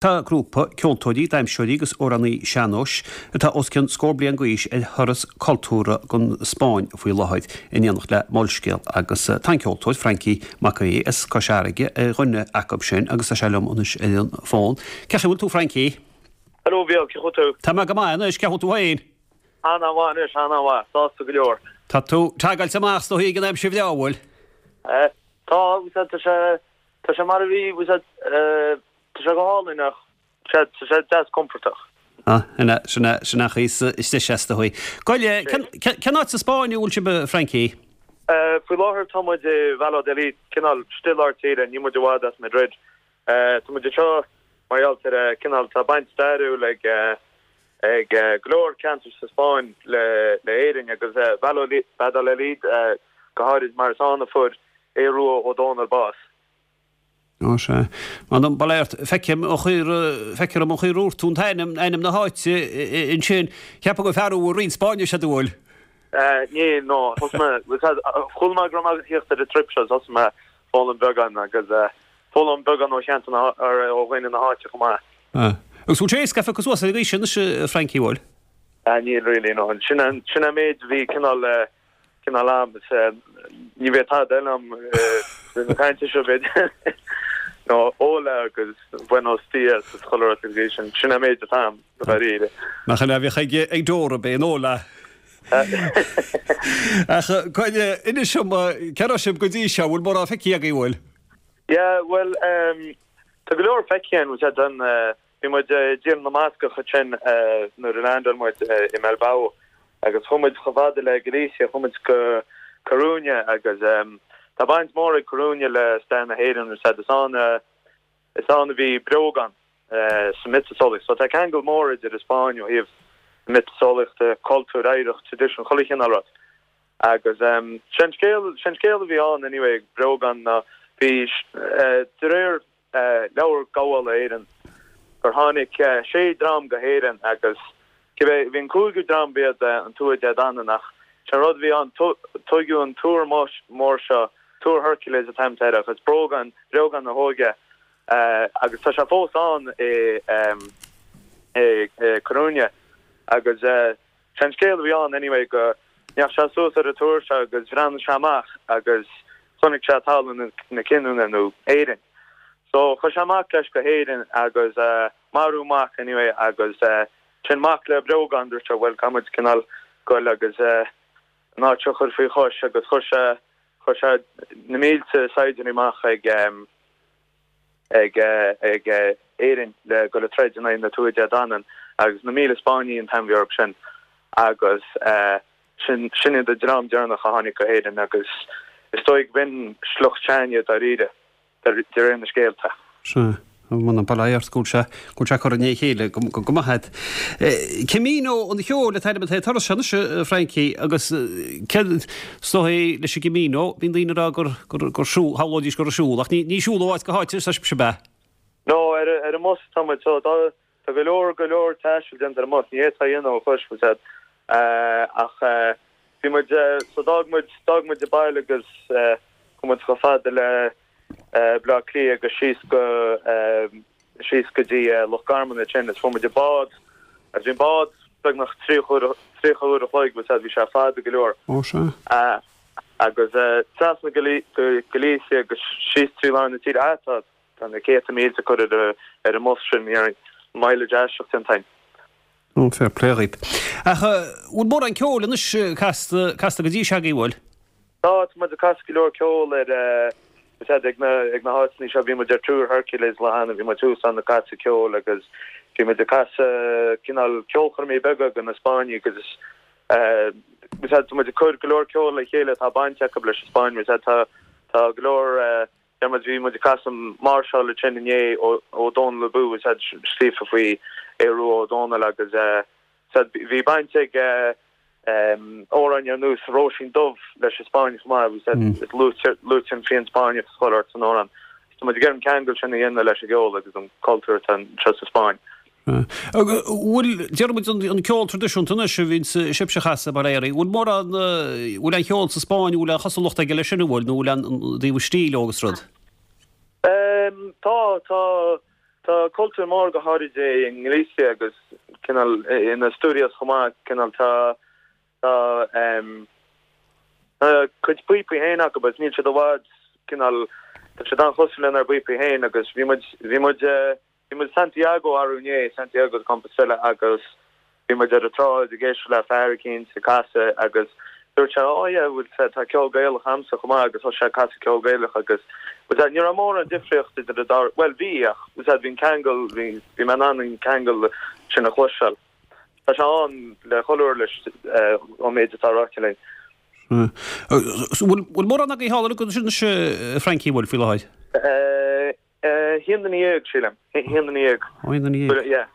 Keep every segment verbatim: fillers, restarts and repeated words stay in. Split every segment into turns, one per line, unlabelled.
Tá grúpa ceoltóirí, damhsóirí agus amhránaí sean-nóis atá os cionn scór bliain d'aois ar thuras cultúrtha don Spáinn faoi láthair in éineacht le Molscéal agus tá an ceoltóir Frankie Mac Aoidh as Cois Fharraige ar dhuine acu sin agus tá sé liom anois ar an bhfón. Cén chaoi a bhfuil tú Frankie?
Hello Bhí ce tú?
Tá mé go maith anois cén chaoi a bhfuil tú féin?
An-mhaith anois an-mhaith sásta go leor.
Tá tú ag tógáil amach is dóigh ag an aimsir bhreá bhfuil?
Eh, tá tá sé tá sé mar a bhí tá sé go hálainn ach sé sé deas compordach.
Ah, ina sinna sinna is is is dóigh. Goile cén áit sa Spáinn a bhfuil sibh Frankie?
Uh, faoi láthair tá muid i Valladolid cineál istigh lár tíre ní muid i bhfad as Madrid. Uh, tá muid seo mar gheall ar cineál tá baint stairiúil ag ag go leor ceantar sa Spáinn le le Éirinn agus Valladolid go háirid mar is ann a fuair Aodh Rua Ó Dónaill bás.
Ó sé. Man baléirt feicim ó chuir feicim ó chuir úr tú ainm ainm na háite ansin cheapfá gur fear a roinnt Spáinnis a dúil.
Ní no chuala mé go raibh thíocht ar an trip seo thosaigh mé foghlaim beagán agus foghlaim beagán ó cheant ó dhaoine na háite chomh maith.
Agus bhfuil sé éasca cos suas ag sin Frankie bhfuil?
Níl really no sin sin an méid bhí cineál cineál am ní bheith tá am na cainte seo bit no hola agus buenos días is chuile rud sin sin an méid atá dáiríre.
Nach an bhí ag ag dóra bé hola. Ach coinne inis dom cá raibh sibh go dtí seo bhfuil mórán feicthe agaibh bhfuil?
Yeah, well um, tá go leor feicthe againn an bhí muid i dTír na mBascach sin nuair a landáil muid i Bilbao agus chuaigh muid chomh fada le Galicia chuaigh muid go Coruña agus um, tá baint mór ag Coruña le stair na hÉireann said is ann is ann a bhí Breogán uh, sa miotaseolaíocht. So tá ceangal mór idir an Spáinn ó thaobh miotaseolaíocht cultúr oidhreacht tradition chuile chineál rud. Agus um, sin scéal sin scéal a bhí ann anyway Breogán na bhí uh, de réir uh, leabhar gabhála Éireann gur tháinig uh, sé dream go hÉirinn agus bhí an cúigiú dream b'iad an Tuatha Dé Danann ach se rud bhí an tuigeadh an túr mór seo Túr Hercules a time agus Breogán Breogán na hóige uh, agus tá sé fós ann i um, i, i Coruña agus uh, sin scéal bhí ann anyway go ndeachaigh sé suas ar an túr seo agus bhreathnaigh sé amach agus chonaic sé talamh na cinniúna nó Éirinn. So chuaigh sé amach leis go hÉirinn agus uh, marú mac anyway agus uh, sin mac le Breogán dúirt sé well caithfimid cineál goil agus uh, ná chur faoi chois agus chuir sé chuir sé na mílte saighdiúirí amach ag um, ag uh, ag uh, Éirinn le go le troid na Tuatha Dé Danann agus na míle Spáinnigh an t-am sin agus uh, sin sin an dream deireanach a tháinig go hÉirinn agus is dóigh b'in sliocht s'againne dáiríre de réir na scéalta.
Se man an baléir go se go se chu né chéile go maith. Camino an Cheoil an t-ainm atá ar sin Frankie agus stohé leis an Camino bíonn daoine rá gur gur siúl shamhlóidís gur siúl ach ní siúl áit go háit sa se be.
No ar ar an mbus tá so tá go leor go leor taistil déanta ar an mbus ní é dhéanamh ó chuis ach bhí muid so d'fhág muid d'fhág muid an baile agus chuaigh muid chomh fada le Bleá Cliath agus síos go síos go dtí Loch Garman sin is fuair muid bád a bhí bád beagnach tríocha uair a chloig bhí sé fada go leor.
Ó se?
Agus trasna Galicia agus síos trí lár na tíre átá tá na céadta míle curtha ar an mbus sin ar mileage aisteach den time.
Ó fair play dhaoibh. Ach bhfuil mórán ceoil anois casta casta go dtí seo agaibh bhfuil?
Tá muid ag casadh go leor ceoil ar ag na ag na háiteanna seo bhí muid ar Túr Hercules lá cheana bhí muid thuas ann ag casadh ceoil agus bhí muid ag casadh cineál ceolchoirmí beaga do na Spáinnigh agus muid ag cur go leor ceoil le chéile tá baint acu leis Spáinn tá tá go leor bhí muid ag casadh máirseáil sin inné ó Dónal Abú scríofa faoi Aodh Rua Ó Dónaill agus bhí baint ag amhráin ar nós Róisín Dubh leis an Spáinn mar luaitear an fíon Spáinneach chuile san amhrán. Tá gur an ceangal sin a dhéanamh leis an gceol agus an cultúr anseo sa Spáinn.
Bhfuil deir an ceol traidisiúnta anois a bhíonn sibhse a chasadh mar éirí, bhfuil mórán bhfuil an ceol sa Spáinn bhfuil an chosúlacht aige leis sin bhfuil nó bhfuil an dtaobh stíl agus rud?
Tá tá tá cultúr mór go háirid i nGalicia agus cineál in Asturias chomh maith, cineál tá tá um, a cuid píopaí féin acu agus níl siad i bhfad cineál tá siad an-chosúil lenár bpíopaí féin agus bhí muid bhí muid eh, bhí muid Santiago arú inné, Santiago de Compostela agus bhí muid ar an tsráid ag éisteacht le fear eicínt ag casadh agus dúirt sé oh yeah bhfuil sé tá ceol Gaelach a'msa chomh maith agus thosaigh sé ag casadh ceol Gaelach agus bhfuil sé ní raibh mórán difríocht idir an dá bhuel bhí ach bhfuil sé bhí an ceangal bhí bhí mé in ann an ceangal sin a chloisteáil. Tá sé ann le chuile uirlis ón méid atá ráite linn.
Bhfuil mórán agaibh thall anois a Frankie bhfuil faoi láthair?
Haon duine dhéag, sílim. Haon duine dhéag.
Haon duine dhéag.
Yeah.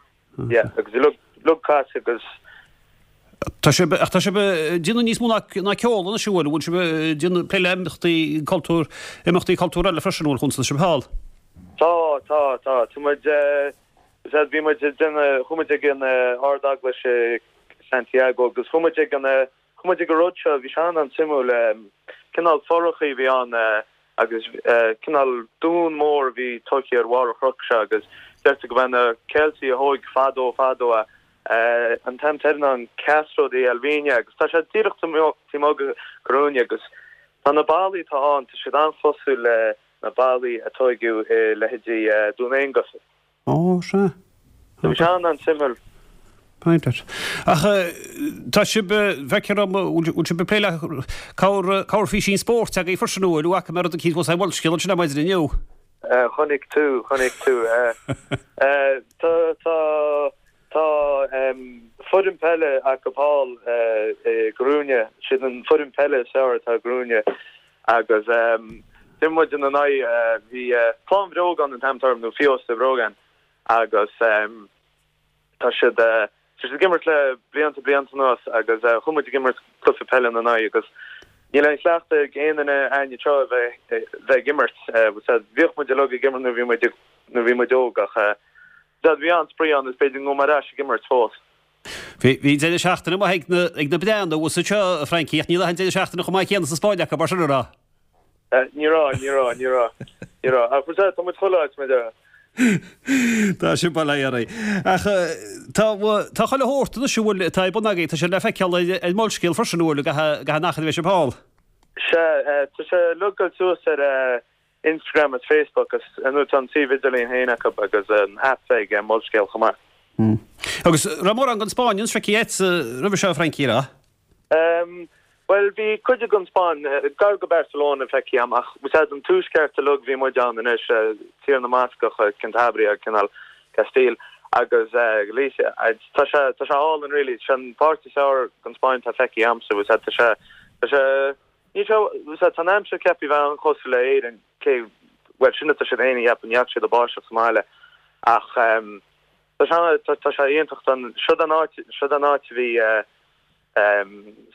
Yeah, agus uilig ag casadh agus.
Tá sibh, ach tá sibh ag déanamh níos mó ná ná ceol anois, an bhfuil? Bhfuil sibh ag déanamh plé le imeachtaí cultúr, imeachtaí cultúr eile freisin, an bhfuil, chun sibh thall?
Tá, tá, tá. Tá muid, bhí muid ag déanamh, chuaigh muid ag an Ard-Eaglais i Santiago agus chuaigh muid ag an, chuaigh muid ag an rud seo, bhí sé an-suimiúil, cineál forachaí a bhí ann agus cineál dún mór a bhí tógtha ar bharr an chnoic seo agus deirtear go mb'é na Ceiltigh a thóig fadó fadó é. An t-ainm atá air ná an Castro de Elviña agus tá sé díreach taobh amuigh de Coruña agus tá na ballaí atá ann, tá siad an-chosúil le na ballaí a tóigeadh i leithéidí Dún Aonghasa.
Ó, sea.
Bhí sé an-suimiúil.
Iontach. Ach tá sibh, feictear dom, bhfuil sibh ag plé le cabhair, cabhair físín spóirt agaibh freisin, an bhfuil? Bhfaca mé rud eicínt thuas ar Mholscéal ansin ar maidin inniu.
Chonaic tú, chonaic tú. Tá, tá, tá foireann peile acu thall i gCoruña, siad an foireann peile is fearr atá i gCoruña agus d'imir muid ina n-aghaidh, bhí Fleadh Bhreogáin an t-ainm atá air nó Fiesta Breogán agus tá siad tá siad ag imirt le blianta blianta anuas agus chuaigh muid ag imirt cluiche peile ina n-aghaidh agus níl aon chleachtadh ag aon duine againn anseo a bheith bheith ag imirt. Bhíodh muid uilig ag imirt nuair bhí muid nuair bhí muid óg ach bhí an-spraoi ann is b'fhéidir go ngabhfaidh mé ar ais ag imirt fós.
Bhí bhí deireadh seachtaine maith ag na ag na Breathnaigh thuas anseo, a Frankie, ach ní raibh an deireadh seachtaine chomh maith céanna sa Spáinn acu, mar sin a raibh?
Ní raibh, ní raibh, ní raibh, ní raibh. Ach tá muid chuile áit, mar a déarfá.
Tá sin bail ó Dhia oraibh. Ach tá tá chuile shórt anois a bhfuil atá ar bun agaibh, tá sé le feiceáil ar ar Molscéal freisin, an bhfuil, gach aon achar a bheidh sibh thall.
Sea, tá sé uilig ag dul suas ar Instagram is Facebook agus ar ndóigh tá an suíomh idirlín féin acu agus an aip ag Molscéal chomh maith.
Agus raibh mórán den Spáinn feicthe agat roimhe seo, a Frankie, an
raibh? Bhuel, bhí cuid den Spáinn, gar go Barcelona feicthe agam ach bhí an tuaisceart uilig bhí muid ann anois, Tír na mBascach, Cantabria, cineál Castile agus Galicia. Tá sé tá sé álainn really, sin an páirt is fearr den Spáinn atá feicthe agamsa, bhí tá sé tá sé ní sé bhí tá an aimsir ceaptha bheith an-chosúil le Éirinn, cé bhuel sin atá siad féin a cheapadh, ní fhaca siad an bháisteach sa mbaile ach tá sé tá sé iontach, seo an áit seo an áit a bhí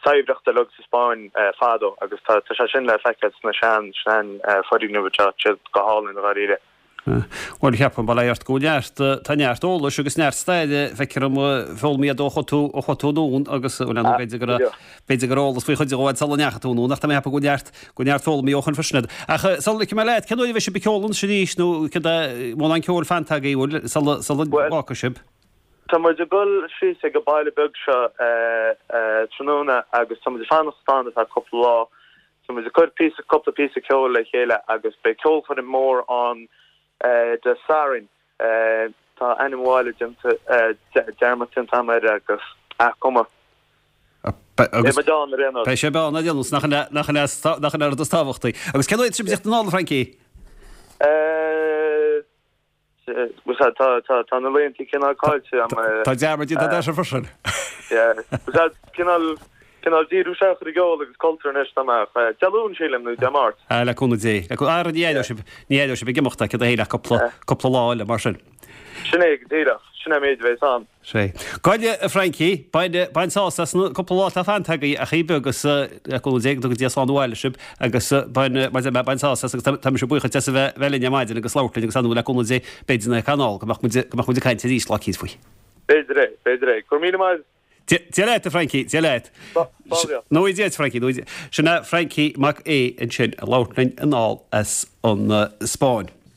saibhreacht uilig sa Spáinn fadó agus tá sé sin le feiceáil sna sean sean foirgnimh atá siad go hálainn dháiríre.
Bhuel, cheapfainn, bail ó Dhia ort, go bhfuil neart, tá neart eolais agus neart staire, feictear dom, foghlamtha agat ó chuaigh tú, ó chuaigh tú anonn agus, bhuel, ar ndóigh, b'fhéidir go raibh, b'fhéidir go raibh eolas faoi chuid de sula ndeachaigh tú anonn ach tá mé ag ceapadh go bhfuil neart, go bhfuil neart foghlamtha ó shin freisin agat. Ach sula ligfidh mé leat, cén uair a bheidh sibh ag ceol ansin arís nó céard é, mórán ceoil fanta agaibh, bhfuil, sula, sula bhfágfaidh sibh?
Tá muid ag dul síos ag an baile beag seo tráthnóna agus tá muid ag fanacht ann ar feadh cúpla lá. Tá muid ag cur píosa, cúpla píosa ceoil le chéile agus beidh ceolchoirm mór ann Dé Sathairn. Tá ainm an bhaile déanta, dearmad déanta agam air agus ah cuma.
Beidh muid ann ar aon nós. Beidh sibh ann ar aon nós, nach in é, nach in é, nach in é an rud is tábhachtaí. Agus cén uair atá sibh ag teacht anall, a Frankie?
Tá na laethanta cineál caillte agam.
Tá dearmad déanta agat freisin.
Cineál cineál díriú isteach ar an gceol agus cultúr anois tá mé ach Dé Luain sílim nó Dé Máirt.
Ah le cúnamh Dé. Le cúnamh Ara ní aireoidh sibh ní aireoidh sibh ag imeacht cad é ach cúpla cúpla lá eile mar sin.
Sin é go díreach. Sin é an méid a bheas ann.
Sea. Gabh i leith, a Frankie, bain, bain sásamh as an cúpla lá atá fanta agaibh ach beag agus le cúnamh Dé go dtuga Dia slán abhaile sibh agus bain, mar a deir mé, bain sásamh as agus tá mise buíoch duit as a bheith, bheith linn ar maidin agus labhairt linn agus ar ndóigh le cúnamh Dé b'fhéidir na canál go mbeadh muid, go mbeadh muid ag caint arís lá eicínt faoi.
B'fhéidir é, b'fhéidir é. Go raibh míle maith.
Dia leat, a Frankie, Dia leat. Nó Dia duit, Frankie, nó Dia. Sin é Frankie Mac Aodha ansin ag labhairt linn anall as an Spáinn.